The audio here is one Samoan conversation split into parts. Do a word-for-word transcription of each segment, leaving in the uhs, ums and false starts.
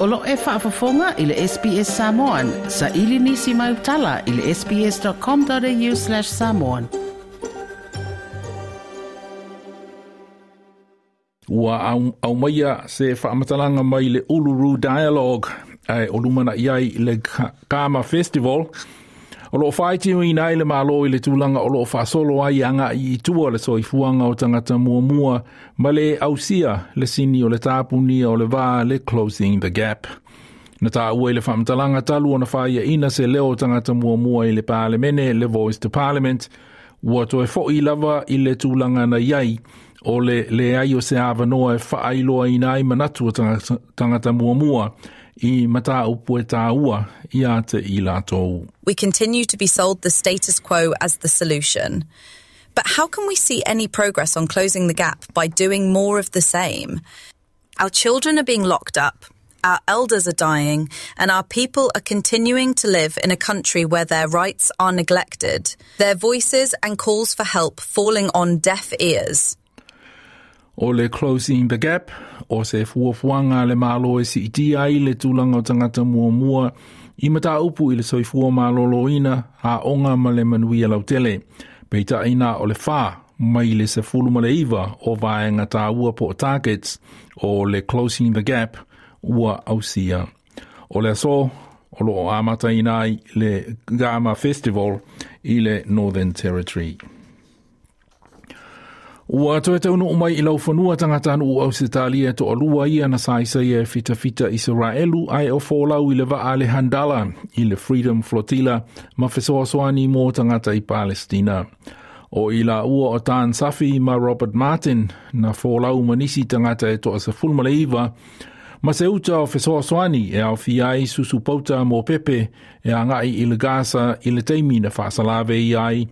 O lo e faafofoga i le S B S Samoan, sa ili nisi mai utala i le S B S dot com dot A U slash samoan. Ua aumaia se faamatalaga mai le Uluru Dialogue ae o lumanaʻi ai le Garma Festival o loo faitioina ai le Malo i le tulaga o loo faasolo ai agaʻi i tua le soifuaga o tagata muamua ma le ausia le sini o le tapunia o le va, le Closing the Gap. Na taua i le faamatalaga talu ona faiaʻina se leo o tagata muamua i le Palemene, le Voice to Parliament, ua toe foʻi lava i le tulaga na iai o le leai o se avanoa e faailoaina ai manatu o tagata muamua i mataupu e tāua ia te i latou. We continue to be sold the status quo as the solution. But how can we see any progress on closing the gap by doing more of the same? Our children are being locked up, our elders are dying, and our people are continuing to live in a country where their rights are neglected, their voices and calls for help falling on deaf ears. O le Closing the Gap o se fuafuaga le Malo e siitia ai le tulaga o tagata muamua i mataupu i le soifua malōlōina, aoga ma le manuia lautele. Peitai na o le whā mai le sefulu ma le iva o vaega tāua po targets o le Closing the Gap ua ausia. O le aso o loo amataina ai le Garma Festival i le Northern Territory. Ua toe taunuu mai i laufanua tagata o Ausetalia toalua ia na saisai e fitafita Iseraelu ae o folau i le vaa le Handala i le Freedom Flotilla ma fesoasoani mo tagata i Palestina. O i la ua o Dan Safi ma Robert Martin na folau manisi tagata e toa sefulu ma le iva ma se uta o fesoasoani e aofia ai susu pauta mo pepe e agaʻi i le Gaza i le taimi na faasalave i ai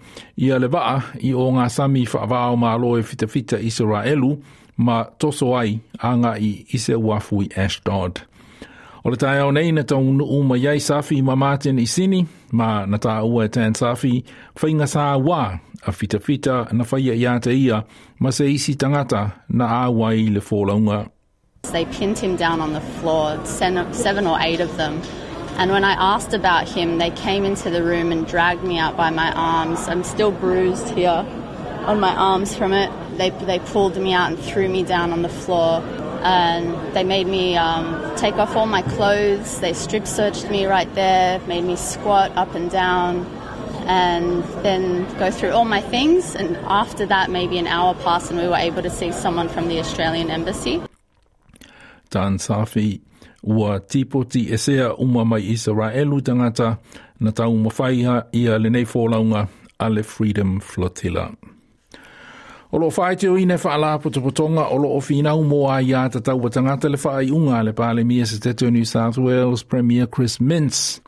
ia le vaa i o ngā sami faavao malo e fitafita Israelu ma toso ai agaʻi i se uafu i Ashdod. O le taeao nei na taunuu mai ai Safi ma Martin i Sini ma na tāua e Dan Safi faiga sā wā a fitafita na whaia ia te ia ma se isi tangata na āwai le folauga. They pinned him down on the floor, seven or eight of them. And when I asked about him, they came into the room and dragged me out by my arms. I'm still bruised here on my arms from it. They, they pulled me out and threw me down on the floor. And they made me um, take off all my clothes. They strip searched me right there, made me squat up and down, and then go through all my things. And after that, maybe an hour passed, and we were able to see someone from the Australian Embassy. Dan Safi ua tipoti esea uma mai Israelu tagata na tau mawhaiha ia lenei fōlaunga a le Freedom Flotilla. O loo faitioina faalapotopotoga o loo finau mo aiā tatau a tagata le faaiuga le Palemia Setete o New South Wales, Premier Chris Minns,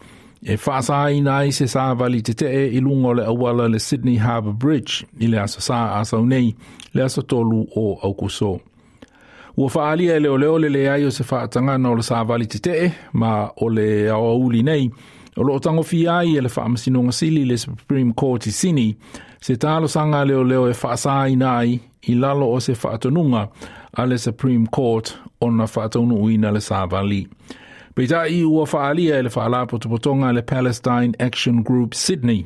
e faasaina ai se savali tetee i luga o le auala le Sydney Harbour Bridge i le aso Sā asau nei, le aso tolu o Aukuso. Ua faalia e leoleo le leai o se faatagana o le savali tetee ma o le aoauli nei o loo tagofia ai e le Faamasinoga Sili, le Supreme Court i Sini, se talosaga leoleo e faasaina ai i lalo o se faatonuga a le Supreme Court ona faataunuuina le savali. Peitai ua faalia e le faalapotopotoga le Palestine Action Group Sydney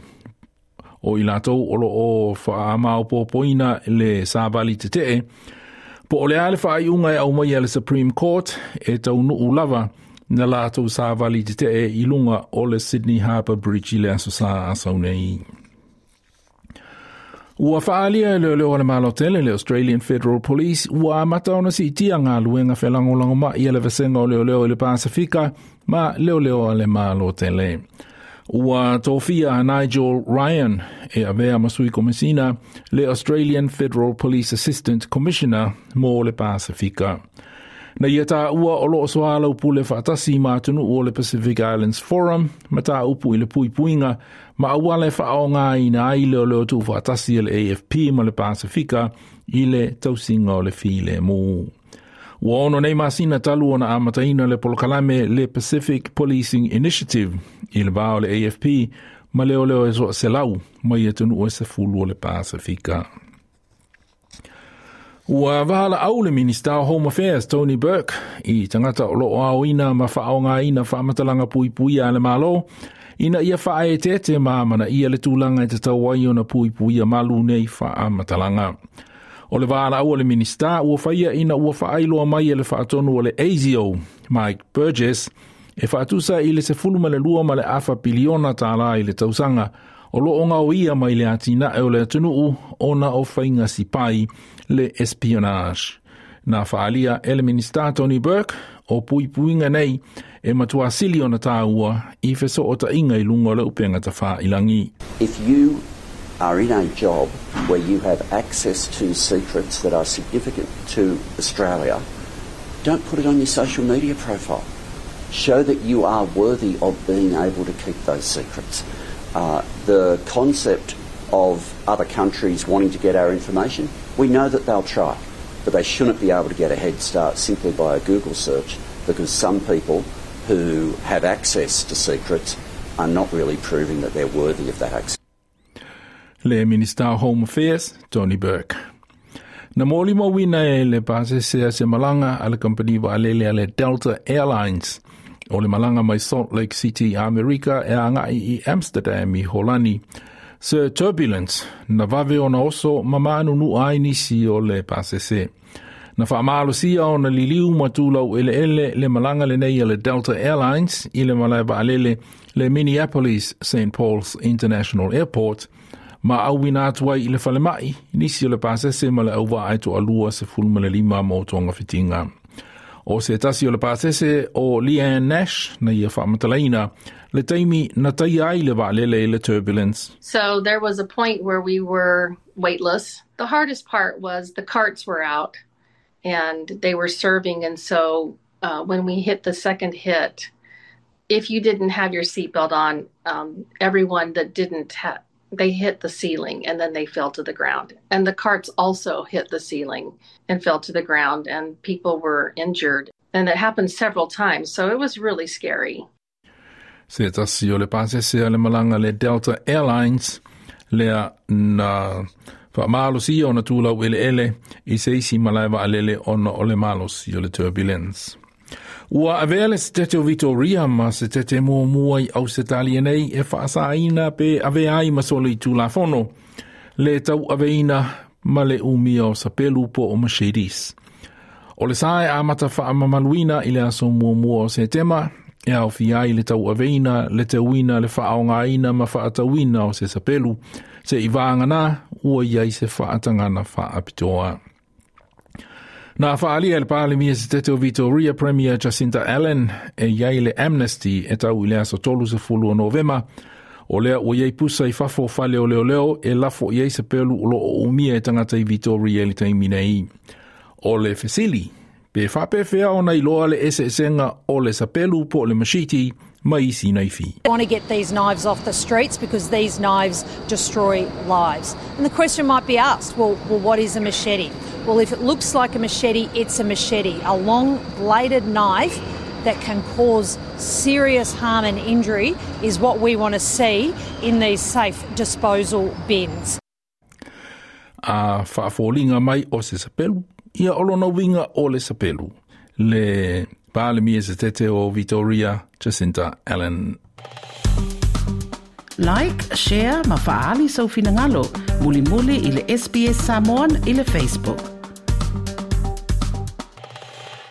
o i latou o loo faamaopopoina le savali tetee po o le a le faaiuga e aumaia e le Supreme Court e taunuu lava na latou savali tetee i luga o le Sydney Harbour Bridge i le aso Sā asau nei. Ua faalia e leoleo a le Malo tele, le Australian Federal Police, ua amata ona siitia galuega felagolagomai a le vasega o leoleo i le Pasifika ma leoleo a le Malo tele. Ua tofia Nigel Ryan e avea ma sui komisina, le Australian Federal Police Assistant Commissioner mo le Pasifika. Na ia tāua o loo soalau pule faatasi ma atunuu o le Pacific Islands Forum ma tā upu i le puipuiga ma auala e faaaogaina ai leoleo tuufaatasi a le A F P ma le Pasifika i le tausiga o le filemu. Ua ono nei masina talu ona amataina le polokalame le Pacific Policing Initiative i le vā o le A F P ma leoleo e soa selau mai atunuu e sefulu o le Pasifika. Ua valaau le Minista o Home Affairs Tony Burke i tagata o loo aoina ma faaaogāina faamatalaga puipuia a le Malo ina ia faaeteete ma amanaia le tulaga e tatau ai ona puipuia malu nei faamatalaga. O le valaau a le Minista ua faia ina ua faailoa mai e le faatonu o le ASIO, Mike Burgess, e faatusa i le sefulu ma le lua ma le afa piliona tālā i le tausaga o loo gaoia mai le atinae o le atunuu ona o faiga sipai le espionage. Na faaalia e le Minista Tony Burke o puipuiga nei e matua sili ona tāua i fesootaiga i luga o le upega tafailagi. If you are in a job where you have access to secrets that are significant to Australia, don't put it on your social media profile. Show that you are worthy of being able to keep those secrets. Uh, the concept of other countries wanting to get our information, we know that they'll try, but they shouldn't be able to get a head start simply by a Google search, because some people who have access to secrets are not really proving that they're worthy of that access. Le Minista Home Affairs, Tony Burke. Na molimauina e le pasese a se malaga a le kampani vaalele a le Delta Airlines o le malaga mai Salt Lake City, Amerika e agai i Amsterdam i Holani. Se turbulence na vave ona oso ma maanunua ai nisi o le pasese. Na faamalosia ona liliu ma tulau eleele le malaga lenei a le Delta Airlines i le malae vaalele le Minneapolis Saint Paul's International Airport ma auina atu ai i le falemai nisi o le pasese ma le auvaa e toalua sefulu ma le lima mo togafitiga. O se tasi o le pasese o Leanne Nash na ia faamatalaina le taimi na taia ai le vaalele i le turbulence. So there was a point where we were weightless. The hardest part was the carts were out and they were serving. And so uh, when we hit the second hit, if you didn't have your seatbelt on, um, everyone that didn't have, they hit the ceiling and then they fell to the ground. And the carts also hit the ceiling and fell to the ground, and people were injured. And it happened several times, so it was really scary. Se tasi o le pasese a le malaga le Delta Airlines lea na faamalosia ona tulau eleele i se isi malae vaalele ona o le malosi o le turbulence. Ua avea le Setete o Victoria ma Setete muamua i Ausetalia nei e faasaina pe avea ai ma solitulafono le tauaveina ma le umia o sapelu po o machetes. O le sa e amata faamamaluina i le aso muamua o Setema e aofia ai le tauaveina, le teuina, le faaogaina ma faatauina o se sapelu se i vagana ua i ai se faatagana faapitoa. Na faalia le Palemia Setete o Victoria Premier Jacinta Allan e iai le amnesty e tau i le aso tolu sefulu o Novema. O lea ua iai pusa i fafo o fale o leoleo e lafo i ai sapelu o loo umia e tagata i Victoria i le taimi nei. O le fesili, pe faapefea ona iloa le eseesega o le sapelu po o le machete ma isi naifi. We want to get these knives off the streets because these knives destroy lives. And the question might be asked, well, well, what is a machete? Well, if it looks like a machete, it's a machete, a long bladed knife that can cause serious harm and injury is what we want to see in these safe disposal bins. A faafoliga mai o se sapelu, ia o lona uiga o le sapelu. Le Palemia Setete o Victoria, Jacinta Allan. Like, share ma faaali sou finagalo. Mulimuli i le S B S Samoan i le Facebook.